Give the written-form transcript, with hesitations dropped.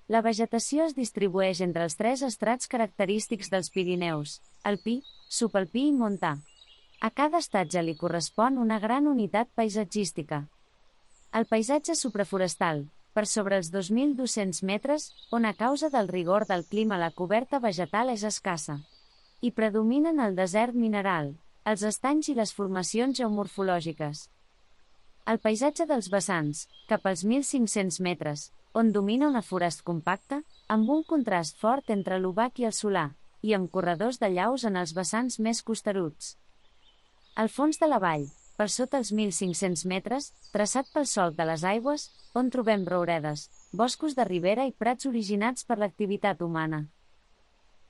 La vegetació es distribueix entre els tres estrats característics dels Pirineus: alpí, subalpí i montà. A cada estatge li correspon una gran unitat paisatgística. El paisatge supraforestal, per sobre els 2.200 metres, on a causa del rigor del clima la coberta vegetal és escassa. Hi predominen el desert mineral, els estanys i les formacions geomorfològiques. El paisatge dels vessants, cap als 1.500 metres, on domina una forest compacta, amb un contrast fort entre l'obac i el solà, i amb corredors de llaus en els vessants més costeruts. Al fons de la vall, per sota els 1.500 metres, traçat pel solc de les aigües, on trobem rouredes, boscos de ribera i prats originats per l'activitat humana.